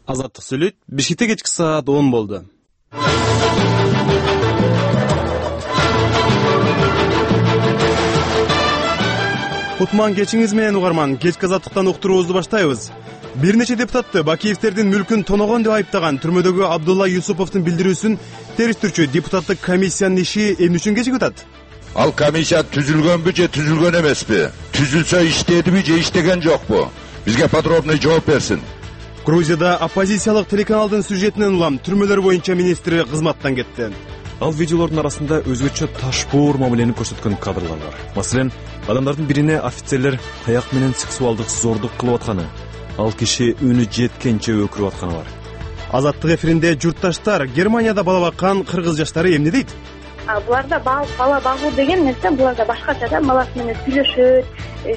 Азаттык сүйлөйт. Бишкекте кечки саат 10 болду. Кутман кечиңиз менен угарман. Кечки азаттыктан уктуруубузду баштайбыз. Бир нече депутатты Бакиевтердин мүлкүн тоногон деп айыптаган түрмөдөгү Абдулла Юсуповдун билдирүүсүн териштирүүчү депутаттык комиссиянын иши эмне үчүн кечигип атат? Ал комиссия түзүлгөнбү же түзүлгөн эмеспи? Түзүлсө иштедиби же иштеген жокпу? Бизге подробный жооп берсин. Грузияда оппозициялык телеканалдын сюжетинен улам түрмөлөр боюнча министри кызматтан кетти. Ал видеолордун арасында өзгөчө ташпоор мамилени көрсөткөн кадрлар бар. Маселен, адамдардын бирине офицерлер таяк менен сексуалдык зордук кылып атканы, ал киши үнү жеткенче өкүрүп атканы бар. Азаттык эфиринде журтташтар Германияда бала баккан кыргыз жаштары эмне дейт? Буларда бала багуу деген нерсе буларда башкача да, баласы менен сүйлөшөт,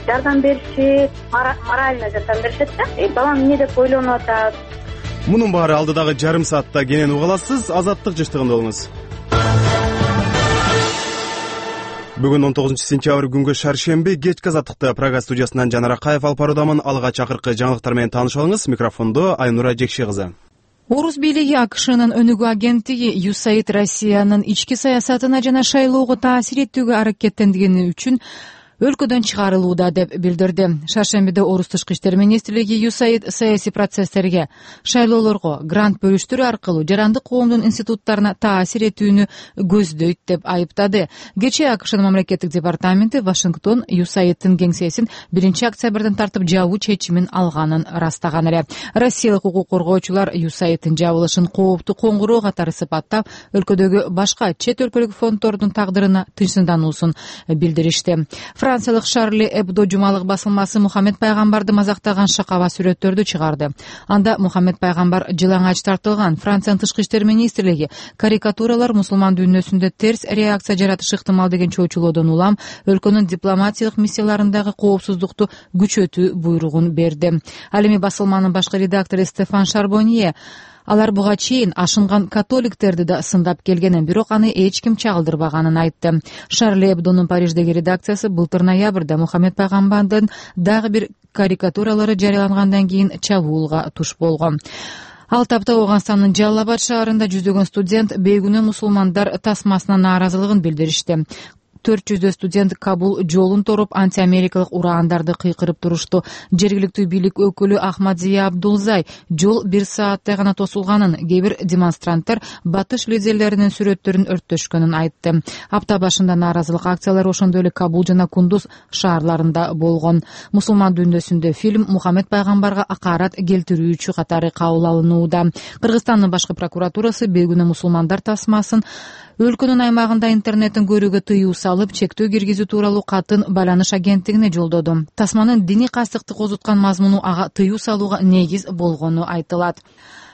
жардам беришет, морально жардам беришет да. Балам эмне деп ойлонуп атат. Мунун баары алдыдагы жарым саатта кенен уга аласыз. Азаттык жыштыгында болуңуз. Бүгүн 19 сентябрь күнгө шаршемби кечки азаттыкта Прага студиясынан Жанар Акаев алып баруудамын. Алга чакыркы жаңылыктар менен таанышып алыңыз. Микрофондо Айнура Жекши кызы. Орус бийлиги АКШнын өнүгүү агенттиги USAID Россиянын ички саясатына жана шайлоого таасир этүүгө аракеттенгени үчүн өлкөдөн чыгарылууда деп билдирди. Шаршембиде Орус тышкы иштер министрлиги USAID саясий процесстерге, шайлоолорго грант бөлүштүрүү аркылуу жарандык коомдун институттарына таасир этүүнү көздөйт деп айыптады. Кечээ АКШнын мамлекеттик департаменти Вашингтон USAIDтин кеңсесин 1 октябрдан тартып жабуу чечимин алганын ырастаган эле. Россиялык укук коргоочулар USAIDтин жабылышын кооптуу коңгуроо катары сыпаттап, өлкөдөгү башка чет өлкөлүк фонддордун тагдырына тынчсыздануусун билдиришти. Франциялык Шарли Эбдо жумалык басылмасы Мухаммед пайгамбарды мазактаган шакаба сүрөттөрдү чыгарды. Анда Мухаммед пайгамбар жылаңач тартылган. Франциянын тышкы иштер министрлиги карикатуралар мусулман дүйнөсүндө терс реакция жаратышы ыктымал деген чоочулоодон улам өлкөнүн дипломатиялык миссияларындагы коопсуздукту күчөтүү буйругун берди. Ал эми басылманын башкы редактору Стефан Шарбонье алар буга чейин ашынган католиктерди да сындап келгенин, бирок аны эч ким чагылдырбаганын айтты. Шарли Эбдонун Париждеги редакциясы былтыр ноябрда Мухаммед пайгамбардын дагы бир карикатуралары жарыялангандан кийин чабуулга туш болгон. Ал тапта Ооганстандын Жаллабад шаарында жүздөгөн студент бейгүнөө мусулмандар тасмасына нааразылыгын билдиришти. 400 студент Кабул жолун торуп антиамерикалык ураандарды кыйкырып турушту. Жергиликтүү бийлик өкүлү Ахмадзия Абдулзай жол 1 сааттай гана тосулганын, кээ бир демонстранттар батыш лидерлеринин сүрөттөрүн өрттөшкөнүн айтты. Апта башында нааразылык акциялары ошондой эле Кабул жана Кундуз шаарларында болгон. Мусулман дүйнөсүндө фильм Мухаммед пайгамбарга акарат келтирүүчү катары кабыл алынууда. Кыргызстандын башкы прокуратурасы бейгүнөө мусулмандар тасмасын өлкөнүн аймагында интернеттин көрүүгө тыюу салып, чектөө киргизүү тууралуу катын байланыш агенттигине жолдоду. Тасманын диний кастыкты козуткан мазмуну ага тыюу салууга негиз болгону айтылат.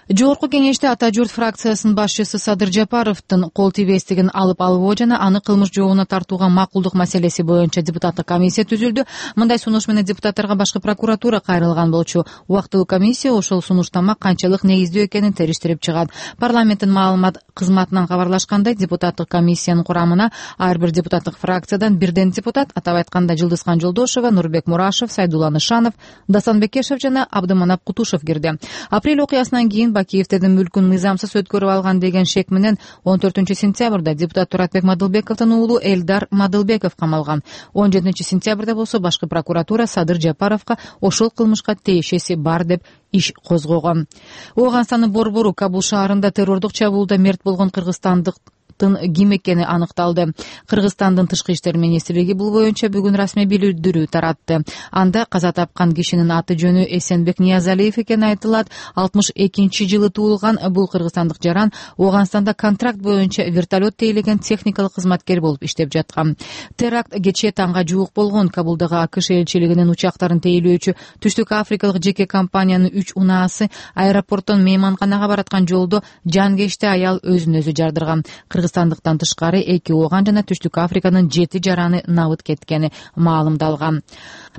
Жогорку кеңеште Ата журт фракциясынын башчысы Садыр Жапаровдун кол тийбестигин алып албоо жана аны кылмыш жообуна тартууга макулдук маселеси боюнча депутаттык комиссия түзүлдү. Мындай сунуш менен депутаттарга башкы прокуратура кайрылган болчу. Убактылуу комиссия ошол сунуштама канчалык негиздүү экенин териштирип чыгат. Парламенттин маалымат кызматынан кабарлашкандай, депутаттык комиссиянын курамына ар бир депутаттык фракциядан бирден депутат, атап айтканда Жылдызхан Жолдошева, Нурбек Мурашев, Сайдулла Нышанов, Дасан Бекешев жана Абдыманап Кутушев кирди. Апрель окуясынан кийин Бакиевтердин мүлкүн мыйзамсыз өткөрүп алган деген шек менен 14 сентябрда депутат Туратбек Мадылбековдун уулу Элдар Мадылбеков камалган. 17 сентябрда болсо башкы прокуратура Садыр Жапаровго ошол кылмышка тиешеси бар деп иш козгогон. Ооганстандын Борбору Кабул шаарында террордук чабуулда мерт болгон кыргызстандык ким экени аныкталды. Кыргызстандын тышкы иштер министрлиги бул боюнча бүгүн расмий билдирүү таратты. Анда каза тапкан кишинин аты жөнү Эсенбек Ниязалиев экени айтылат. 62-жылы туулган бул кыргызстандык жаран Ооганстанда контракт боюнча вертолет тейлеген техникалык кызматкер болуп иштеп жаткан. Теракт кечээ таңга жуук болгон. Кабулдагы АКШ элчилигинин учактарын тейлөөчү Түштүк Африкалык жеке компаниянын 3 унаасы аэропорттон мейманканага бараткан жолдо жангечте аял өзүн өзү жардырган. Кыргызстандыктан тышкары 2 ооган жана Түштүк Африканын 7 жараны набыт кеткени маалымдалган.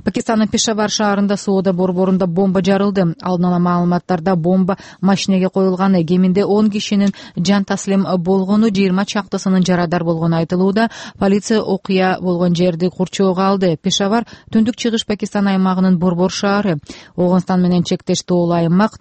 Пакистандын Пешавар шаарында соода борборунда бомба жарылды. Алдын ала маалыматтарда бомба машинеге коюлганы, кеминде 10 кишинин жан таслим болгону, 20 чактысынын жарадар болгону айтылууда. Полиция окуя болгон жерди курчоого алды. Пешавар түндүк чыгыш Пакистан аймагынын борбор шаары. Ооганстан менен чектеш тоолуу аймак